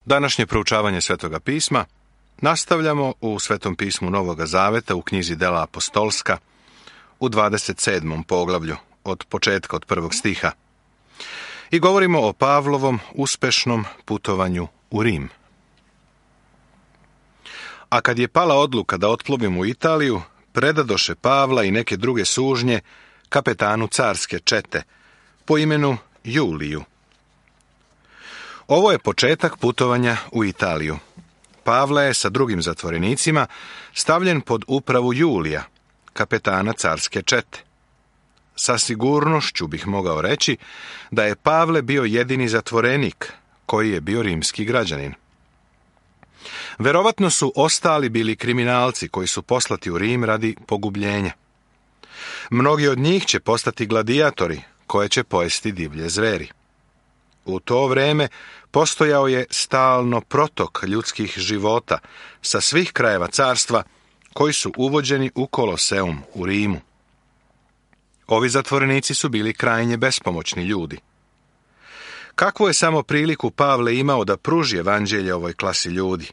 Današnje proučavanje Svetoga pisma nastavljamo u Svetom pismu Novoga Zaveta u knjizi Dela apostolska u 27. poglavlju od početka od 1. stiha i govorimo o Pavlovom uspešnom putovanju u Rim. A kad je pala odluka da otplovimo u Italiju, predadoše Pavla i neke druge sužnje kapetanu carske čete po imenu Juliju. Ovo je početak putovanja u Italiju. Pavle je sa drugim zatvorenicima stavljen pod upravu Julija, kapetana carske čete. Sa sigurnošću bih mogao reći da je Pavle bio jedini zatvorenik koji je bio rimski građanin. Verovatno su ostali bili kriminalci koji su poslati u Rim radi pogubljenja. Mnogi od njih će postati gladijatori koje će pojesti divlje zveri. U to vreme postojao je stalno protok ljudskih života sa svih krajeva carstva koji su uvođeni u Koloseum u Rimu. Ovi zatvorenici su bili krajnje bespomoćni ljudi. Kakvu je samo priliku Pavle imao da pruži evanđelje ovoj klasi ljudi?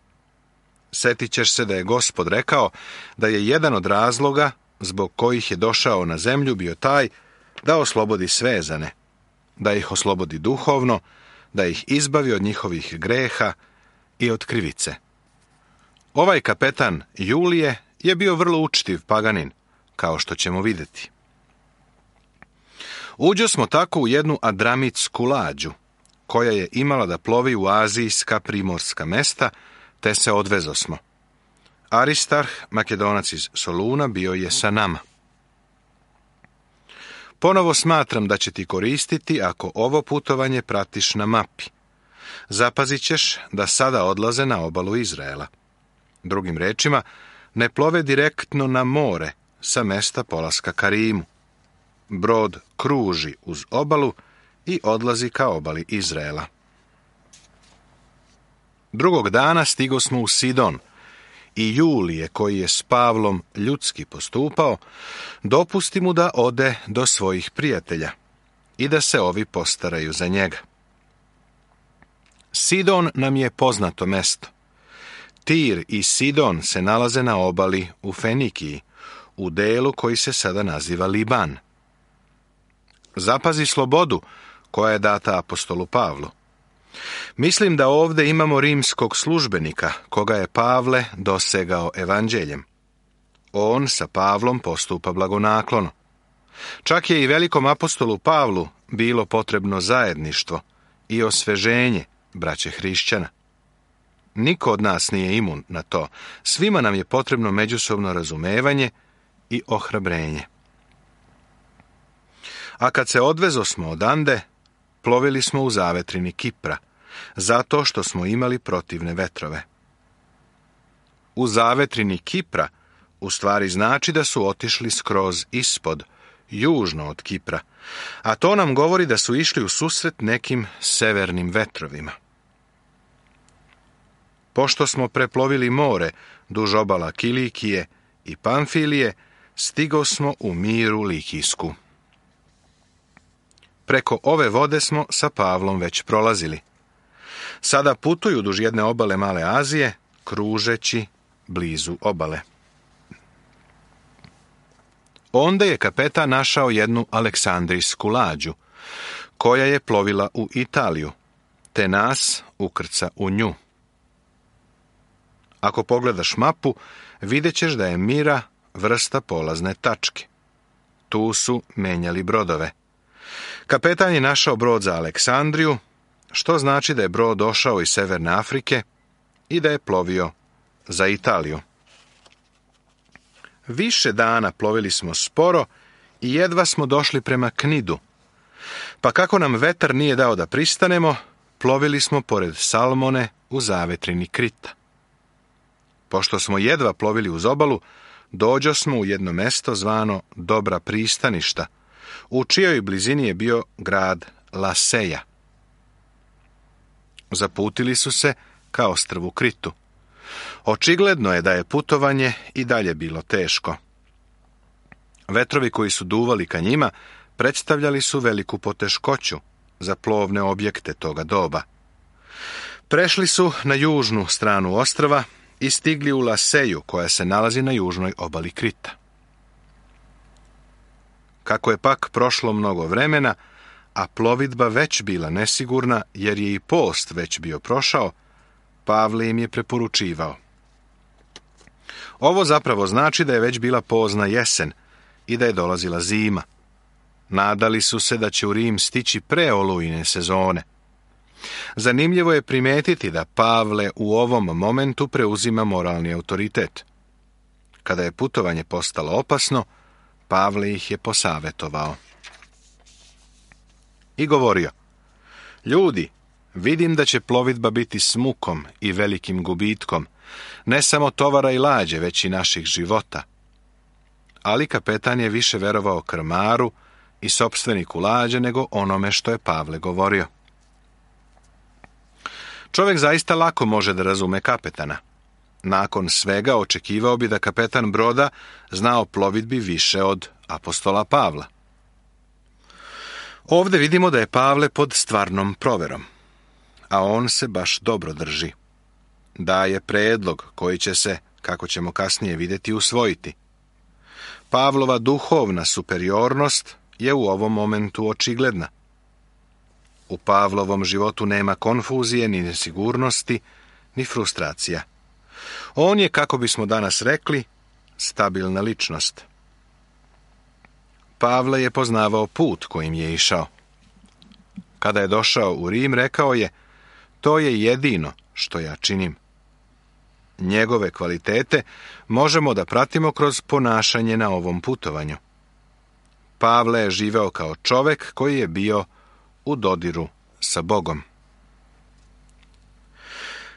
Setit ćeš se da je Gospod rekao da je jedan od razloga zbog kojih je došao na zemlju bio taj da oslobodi svezane, da ih oslobodi duhovno, da ih izbavi od njihovih greha i od krivice. Ovaj kapetan Julije je bio vrlo učtiv paganin, kao što ćemo vidjeti. Uđo smo tako u jednu adramitsku lađu, koja je imala da plovi u azijska primorska mesta, te se odvezosmo. Aristarh, Makedonac iz Soluna, bio je sa nama. Ponovo smatram da će ti koristiti ako ovo putovanje pratiš na mapi. Zapazit ćeš da sada odlaze na obalu Izraela. Drugim rečima, ne plove direktno na more sa mesta polaska ka Rimu. Brod kruži uz obalu i odlazi ka obali Izraela. Drugog dana stigo smo u Sidon i Julije, koji je s Pavlom ljudski postupao, dopusti mu da ode do svojih prijatelja i da se ovi postaraju za njega. Sidon nam je poznato mesto. Tir i Sidon se nalaze na obali u Fenikiji, u delu koji se sada naziva Liban. Zapazi slobodu koja je data apostolu Pavlu. Mislim da ovdje imamo rimskog službenika, koga je Pavle dosegao evanđeljem. On sa Pavlom postupa blagonaklono. Čak je i velikom apostolu Pavlu bilo potrebno zajedništvo i osveženje braće hrišćana. Niko od nas nije imun na to. Svima nam je potrebno međusobno razumevanje i ohrabrenje. A kad se odvezosmo odande, plovili smo u zavetrini Kipra, zato što smo imali protivne vetrove. U zavetrini Kipra u stvari znači da su otišli skroz ispod, južno od Kipra, a to nam govori da su išli u susret nekim severnim vetrovima. Pošto smo preplovili more duž obala Kilikije i Pamfilije, stigo smo u Miru Likijsku. Preko ove vode smo sa Pavlom već prolazili. Sada putuju duž jedne obale Male Azije, kružeći blizu obale. Onda je kapetan našao jednu aleksandrijsku lađu, koja je plovila u Italiju, te nas ukrca u nju. Ako pogledaš mapu, vidjet ćeš da je Mira vrsta polazne tačke. Tu su menjali brodove. Kapetan je našao brod za Aleksandriju, što znači da je brod došao iz Severne Afrike i da je plovio za Italiju. Više dana plovili smo sporo i jedva smo došli prema Knidu. Pa kako nam vetar nije dao da pristanemo, plovili smo pored Salmone u zavetrini Krita. Pošto smo jedva plovili uz obalu, dođo smo u jedno mesto zvano Dobra pristaništa, u čijoj blizini je bio grad Laseja. Zaputili su se ka ostrvu Kritu. Očigledno je da je putovanje i dalje bilo teško. Vetrovi koji su duvali ka njima predstavljali su veliku poteškoću za plovne objekte toga doba. Prešli su na južnu stranu ostrva i stigli u Laseju, koja se nalazi na južnoj obali Krita. Kako je pak prošlo mnogo vremena, a plovidba već bila nesigurna, jer je i post već bio prošao, Pavle im je preporučivao. Ovo zapravo znači da je već bila pozna jesen i da je dolazila zima. Nadali su se da će u Rim stići pre olujne sezone. Zanimljivo je primetiti da Pavle u ovom momentu preuzima moralni autoritet. Kada je putovanje postalo opasno, Pavle ih je posavjetovao i govorio: ljudi, vidim da će plovidba biti s mukom i velikim gubitkom, ne samo tovara i lađe, već i naših života. Ali kapetan je više verovao krmaru i sopstveniku lađe nego onome što je Pavle govorio. Čovjek zaista lako može da razume kapetana. Nakon svega očekivao bi da kapetan broda zna o plovidbi više od apostola Pavla. Ovdje vidimo da je Pavle pod stvarnom proverom, a on se baš dobro drži. Daje predlog koji će se, kako ćemo kasnije vidjeti, usvojiti. Pavlova duhovna superiornost je u ovom momentu očigledna. U Pavlovom životu nema konfuzije, ni nesigurnosti, ni frustracija. On je, kako bismo danas rekli, stabilna ličnost. Pavle je poznavao put kojim je išao. Kada je došao u Rim, rekao je: to je jedino što ja činim. Njegove kvalitete možemo da pratimo kroz ponašanje na ovom putovanju. Pavle je živeo kao čovjek koji je bio u dodiru sa Bogom.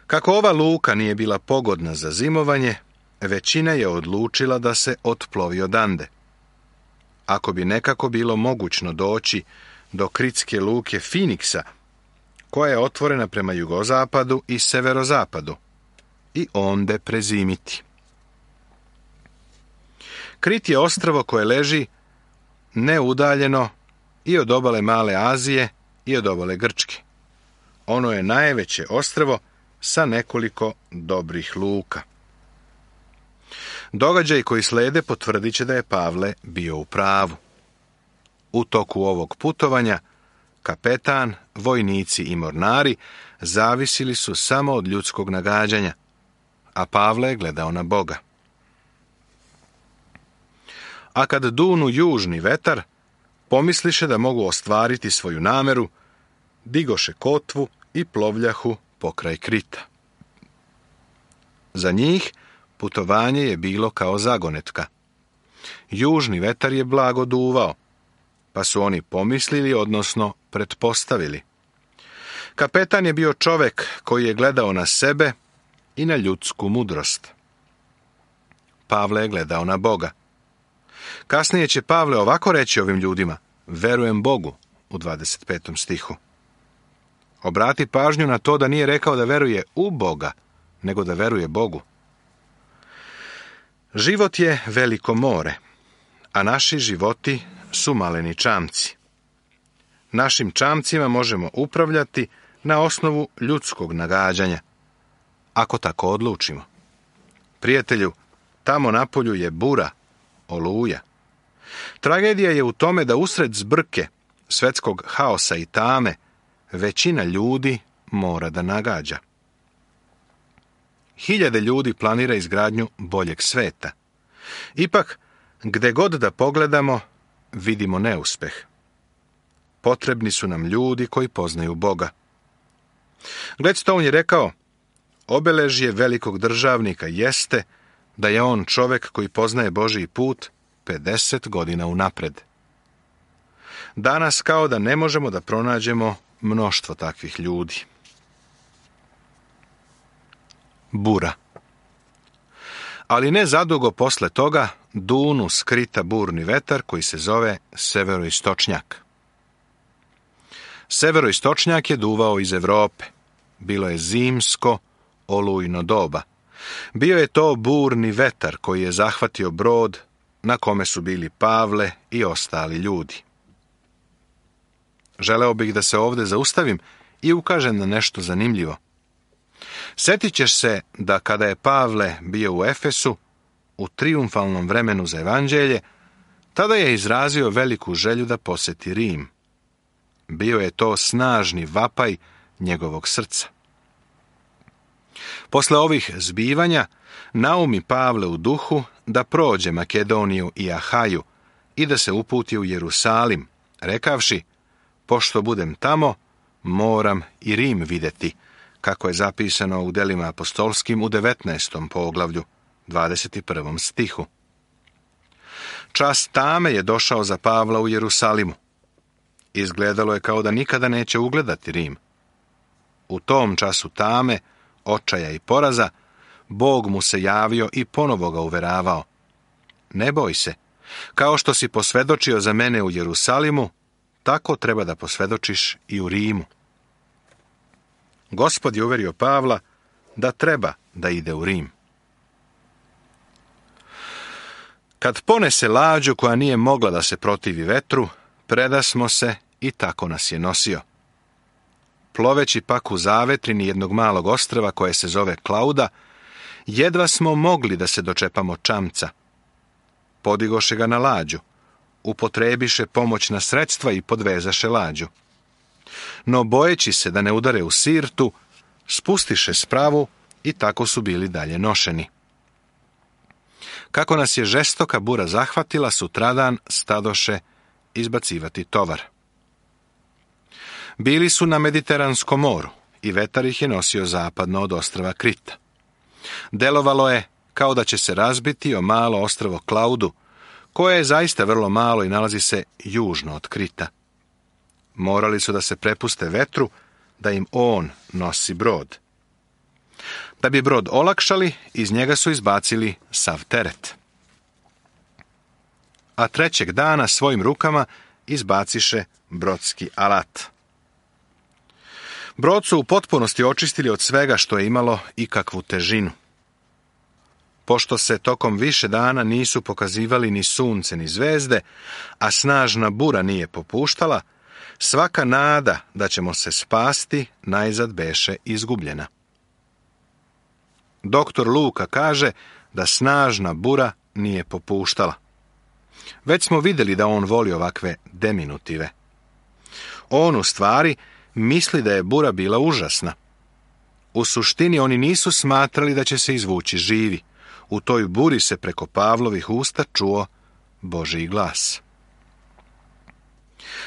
Kako ova luka nije bila pogodna za zimovanje, većina je odlučila da se otplovi odande. Ako bi nekako bilo mogućno doći do kritske luke Finiksa, koja je otvorena prema jugozapadu i severozapadu, i onde prezimiti. Krit je ostrvo koje leži neudaljeno i od obale Male Azije i od obale Grčke. Ono je najveće ostrvo sa nekoliko dobrih luka. Događaji koji slede potvrdit će da je Pavle bio u pravu. U toku ovog putovanja kapetan, vojnici i mornari zavisili su samo od ljudskog nagađanja, a Pavle je gledao na Boga. A kad dunu južni vetar, pomisliše da mogu ostvariti svoju nameru, digoše kotvu i plovljahu pokraj Krita. Za njih putovanje je bilo kao zagonetka. Južni vetar je blago duvao, pa su oni pomislili, odnosno pretpostavili. Kapetan je bio čovjek koji je gledao na sebe i na ljudsku mudrost. Pavle je gledao na Boga. Kasnije će Pavle ovako reći ovim ljudima: verujem Bogu, u 25. stihu. Obrati pažnju na to da nije rekao da veruje u Boga, nego da veruje Bogu. Život je veliko more, a naši životi su maleni čamci. Našim čamcima možemo upravljati na osnovu ljudskog nagađanja, ako tako odlučimo. Prijatelju, tamo napolju je bura, oluja. Tragedija je u tome da usred zbrke, svetskog haosa i tame, većina ljudi mora da nagađa. Hiljade ljudi planira izgradnju boljeg sveta. Ipak, gde god da pogledamo, vidimo neuspeh. Potrebni su nam ljudi koji poznaju Boga. Gladstone je rekao: obeležje velikog državnika jeste da je on čovjek koji poznaje Božji put 50 godina unapred. Danas kao da ne možemo da pronađemo mnoštvo takvih ljudi. Bura. Ali ne zadugo posle toga dunu skrita burni vetar koji se zove severoistočnjak. Severoistočnjak je duvao iz Evrope. Bilo je zimsko, olujno doba. Bio je to burni vetar koji je zahvatio brod na kome su bili Pavle i ostali ljudi. Želeo bih da se ovdje zaustavim i ukažem na nešto zanimljivo. Sjetit ćeš se da kada je Pavle bio u Efesu, u trijumfalnom vremenu za evanđelje, tada je izrazio veliku želju da posjeti Rim. Bio je to snažni vapaj njegovog srca. Posle ovih zbivanja, naumi Pavle u duhu da prođe Makedoniju i Ahaju i da se uputi u Jerusalim, rekavši, pošto budem tamo, moram i Rim vidjeti, kako je zapisano u Delima apostolskim u 19. poglavlju, 21. stihu. Čas tame je došao za Pavla u Jerusalimu. Izgledalo je kao da nikada neće ugledati Rim. U tom času tame, očaja i poraza, Bog mu se javio i ponovo ga uveravao. Ne boj se, kao što si posvjedočio za mene u Jerusalimu, tako treba da posvjedočiš i u Rimu. Gospod je uverio Pavla da treba da ide u Rim. Kad ponese lađu koja nije mogla da se protivi vetru, predasmo se i tako nas je nosio. Ploveći pak u zavetrini jednog malog ostrva koje se zove Klauda, jedva smo mogli da se dočepamo čamca. Podigoše ga na lađu, upotrebiše pomoćna sredstva i podvezaše lađu. No bojeći se da ne udare u Sirtu, spustiše spravu i tako su bili dalje nošeni. Kako nas je žestoka bura zahvatila, sutradan stadoše izbacivati tovar. Bili su na Mediteranskom moru i vetar ih je nosio zapadno od ostrva Krita. Delovalo je kao da će se razbiti o malo ostrvo Klaudu, koje je zaista vrlo malo i nalazi se južno od Krita. Morali su da se prepuste vetru, da im on nosi brod. Da bi brod olakšali, iz njega su izbacili sav teret. A trećeg dana svojim rukama izbaciše brodski alat. Brod su u potpunosti očistili od svega što je imalo ikakvu težinu. Pošto se tokom više dana nisu pokazivali ni sunce ni zvezde, a snažna bura nije popuštala, svaka nada da ćemo se spasti najzad beše izgubljena. Doktor Luka kaže da snažna bura nije popuštala. Već smo vidjeli da on voli ovakve deminutive. On u stvari misli da je bura bila užasna. U suštini oni nisu smatrali da će se izvući živi. U toj buri se preko Pavlovih usta čuo Božji glas.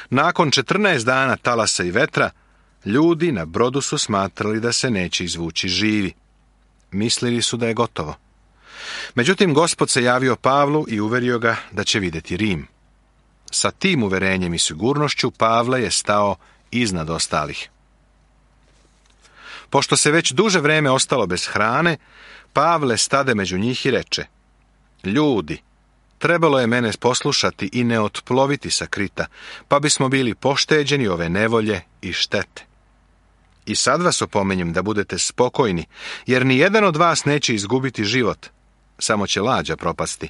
Nakon 14 dana talasa i vetra, ljudi na brodu su smatrali da se neće izvući živi. Mislili su da je gotovo. Međutim, Gospod se javio Pavlu i uverio ga da će vidjeti Rim. Sa tim uverenjem i sigurnošću Pavle je stao iznad ostalih. Pošto se već duže vreme ostalo bez hrane, Pavle stade među njih i reče: Ljudi, trebalo je mene poslušati i ne otploviti sa Krita, pa bismo bili pošteđeni ove nevolje i štete. I sad vas opominjem da budete spokojni, jer ni jedan od vas neće izgubiti život, samo će lađa propasti.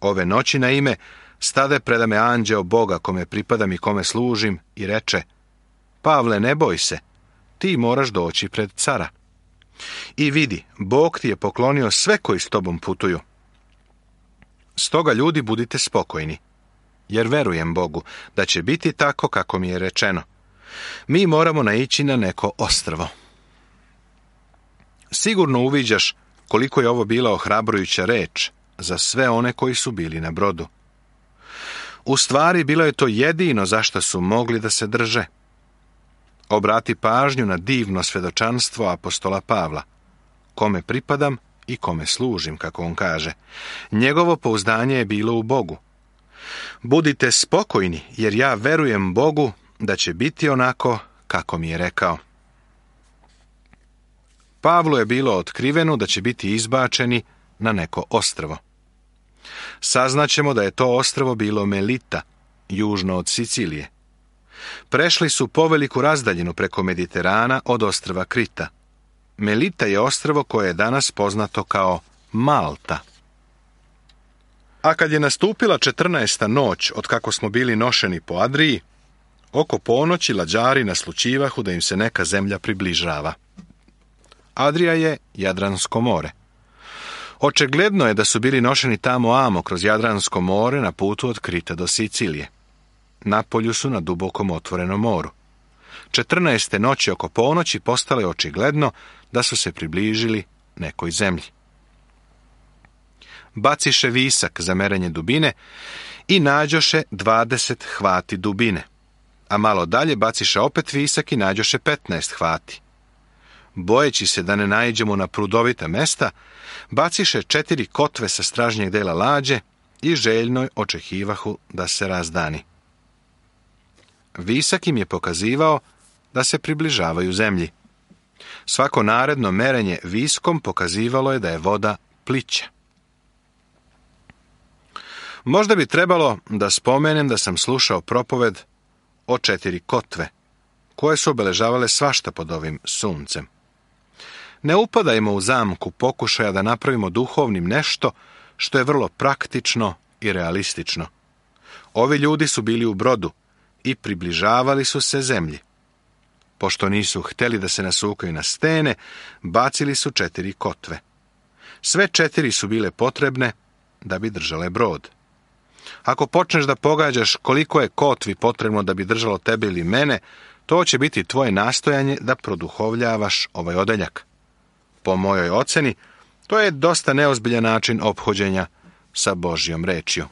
Ove noći na ime stade preda me anđeo Boga kome pripadam i kome služim i reče: Pavle, ne boj se, ti moraš doći pred cara. I vidi, Bog ti je poklonio sve koji s tobom putuju. Stoga, ljudi, budite spokojni, jer verujem Bogu da će biti tako kako mi je rečeno. Mi moramo naići na neko ostrvo. Sigurno uviđaš koliko je ovo bila ohrabrujuća reč za sve one koji su bili na brodu. U stvari, bilo je to jedino zašto su mogli da se drže. Obrati pažnju na divno svjedočanstvo apostola Pavla, kome pripadam i kome služim, kako on kaže. Njegovo pouzdanje je bilo u Bogu. Budite spokojni, jer ja verujem Bogu da će biti onako kako mi je rekao. Pavlu je bilo otkriveno da će biti izbačeni na neko ostrvo. Saznaćemo da je to ostrvo bilo Melita, južno od Sicilije. Prešli su poveliku razdaljinu preko Mediterana od ostrva Krita. Melita je ostrvo koje je danas poznato kao Malta. A kad je nastupila 14. noć od kako smo bili nošeni po Adriji, oko ponoći lađari naslućivahu da im se neka zemlja približava. Adrija je Jadransko more. Očigledno je da su bili nošeni tamo amo kroz Jadransko more na putu od Krita do Sicilije. Napolju su na dubokom otvorenom moru. 14. noći oko ponoći postalo je očigledno da su se približili nekoj zemlji. Baciše visak za merenje dubine i nađoše 20 hvati dubine, a malo dalje baciše opet visak i nađoše 15 hvati. Bojeći se da ne naiđemo na prudovita mesta, baciše 4 kotve sa stražnjeg dela lađe i željno očekivahu da se razdani. Visak im je pokazivao da se približavaju zemlji. Svako naredno merenje viskom pokazivalo je da je voda plića. Možda bi trebalo da spomenem da sam slušao propoved o 4 kotve, koje su obeležavale svašta pod ovim suncem. Ne upadajmo u zamku pokušaja da napravimo duhovnim nešto što je vrlo praktično i realistično. Ovi ljudi su bili u brodu i približavali su se zemlji. Pošto nisu htjeli da se nasukaju na stene, bacili su 4 kotve. Sve 4 su bile potrebne da bi držale brod. Ako počneš da pogađaš koliko je kotvi potrebno da bi držalo tebe ili mene, to će biti tvoje nastojanje da produhovljavaš ovaj odeljak. Po mojoj oceni, to je dosta neozbiljan način ophođenja sa Božjom rečju.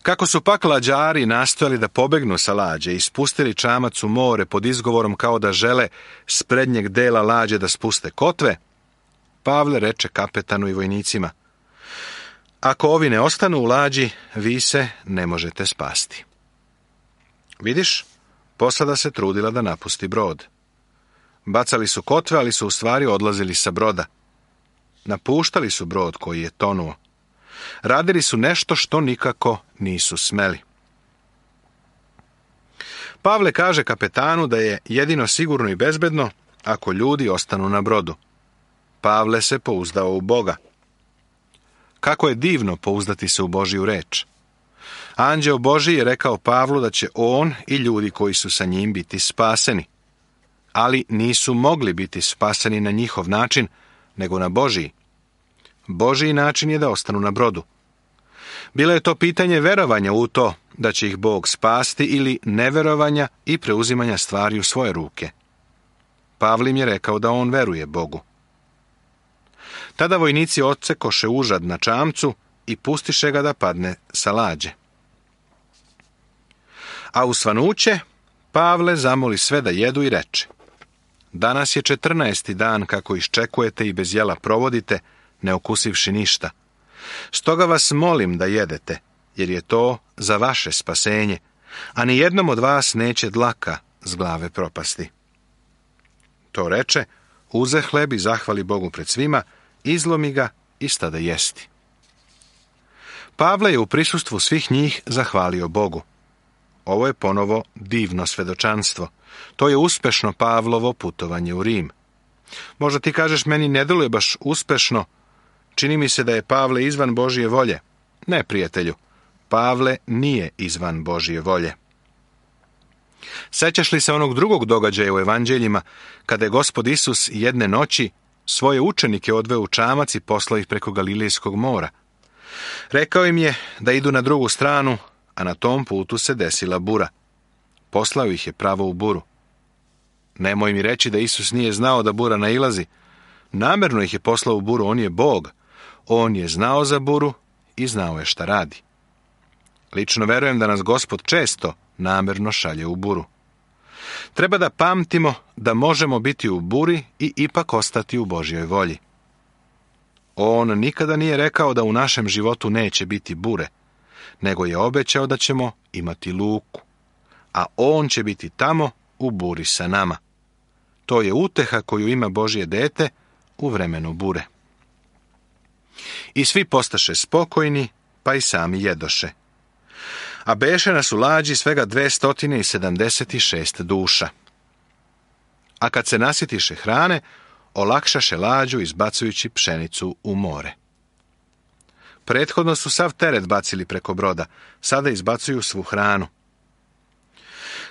Kako su pak lađari nastojali da pobegnu sa lađe i spustili čamac u more pod izgovorom kao da žele s prednjeg dela lađe da spuste kotve, Pavle reče kapetanu i vojnicima: ako ovi ne ostanu u lađi, vi se ne možete spasti. Vidiš, posada se trudila da napusti brod. Bacali su kotve, ali su u stvari odlazili sa broda. Napuštali su brod koji je tonuo. Radili su nešto što nikako nisu smeli. Pavle kaže kapetanu da je jedino sigurno i bezbedno ako ljudi ostanu na brodu. Pavle se pouzdao u Boga. Kako je divno pouzdati se u Božju reč. Anđeo Božji je rekao Pavlu da će on i ljudi koji su sa njim biti spaseni. Ali nisu mogli biti spaseni na njihov način, nego na Božji. Božji način je da ostanu na brodu. Bilo je to pitanje verovanja u to da će ih Bog spasti ili neverovanja i preuzimanja stvari u svoje ruke. Pavle im je rekao da on veruje Bogu. Tada vojnici odsekoše užad na čamcu i pustiše ga da padne sa lađe. A u svanuće Pavle zamoli sve da jedu i reče: danas je 14. dan kako iščekujete i bez jela provodite, ne okusivši ništa. Stoga vas molim da jedete, jer je to za vaše spasenje, a ni jednom od vas neće dlaka s glave propasti. To reče, uze hleb i zahvali Bogu pred svima, izlomi ga i stade jesti. Pavle je u prisustvu svih njih zahvalio Bogu. Ovo je ponovo divno svedočanstvo. To je uspešno Pavlovo putovanje u Rim. Možda ti kažeš, meni ne deluje baš uspešno. Čini mi se da je Pavle izvan Božje volje. Ne, prijatelju, Pavle nije izvan Božje volje. Sećaš li se onog drugog događaja u evanđeljima, kada je Gospod Isus jedne noći svoje učenike odveo u čamac i poslao ih preko Galilejskog mora? Rekao im je da idu na drugu stranu, a na tom putu se desila bura. Poslao ih je pravo u buru. Nemoj mi reći da Isus nije znao da bura nailazi. Namerno ih je poslao u buru, on je Bog. On je znao za buru i znao je šta radi. Lično verujem da nas Gospod često namerno šalje u buru. Treba da pamtimo da možemo biti u buri i ipak ostati u Božjoj volji. On nikada nije rekao da u našem životu neće biti bure, nego je obećao da ćemo imati luku, a on će biti tamo u buri sa nama. To je uteha koju ima Božje dete u vremenu bure. I svi postaše spokojni, pa i sami jedoše. A beše nas u lađi svega 276 duša. A kad se nasitiše hrane, olakšaše lađu izbacujući pšenicu u more. Prethodno su sav teret bacili preko broda, sada izbacuju svu hranu.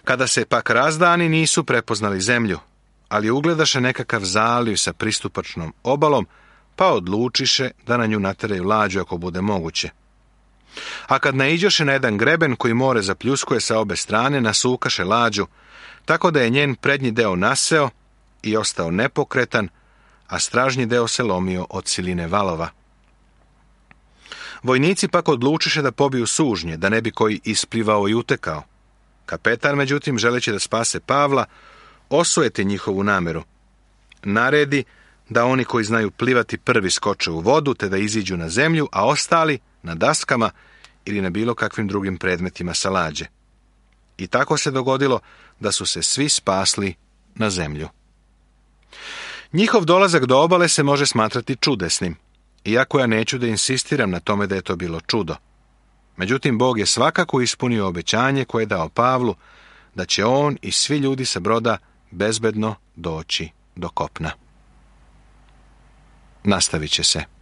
Kada se pak razdani, nisu prepoznali zemlju, ali ugledaše nekakav zaliv sa pristupačnom obalom, pa odlučiše da na nju nateraju lađu ako bude moguće. A kad naiđoše na jedan greben koji more zapljuskuje sa obe strane, nasukaše lađu, tako da je njen prednji deo naseo i ostao nepokretan, a stražnji deo se lomio od siline valova. Vojnici pak odlučiše da pobiju sužnje, da ne bi koji isplivao i utekao. Kapetan, međutim, želeći da spase Pavla, osujeti njihovu nameru. Naredi da oni koji znaju plivati prvi skoče u vodu, te da iziđu na zemlju, a ostali na daskama ili na bilo kakvim drugim predmetima sa lađe. I tako se dogodilo da su se svi spasli na zemlju. Njihov dolazak do obale se može smatrati čudesnim, iako ja neću da insistiram na tome da je to bilo čudo. Međutim, Bog je svakako ispunio obećanje koje je dao Pavlu, da će on i svi ljudi sa broda bezbedno doći do kopna. Nastavit će se.